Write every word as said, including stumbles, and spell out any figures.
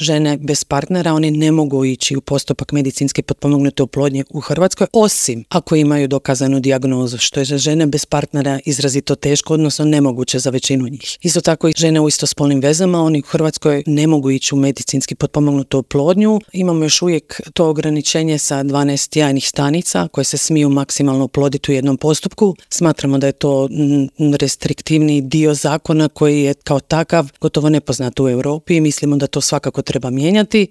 žene bez partnera, one ne mogu ići u postupak medicinski potpomognute oplodnje u Hrvatskoj, osim ako imaju dokazanu dijagnozu, što je za žene bez partnera izrazito teško, odnosno nemoguće za većinu njih. Isto tako i žene u istospolnim vezama, oni u Hrvatskoj ne mogu ići u medicinski potpomognutu oplodnju. Imamo još uvijek to ograničenje sa dvanaest jajnih stanica koje se smiju maksimalno oploditi u jednom postupku. Smatramo da je to restriktivni dio zakona koji je kao takav gotovo nepoznat u Europi i mislimo da to svakako treba mijenjati.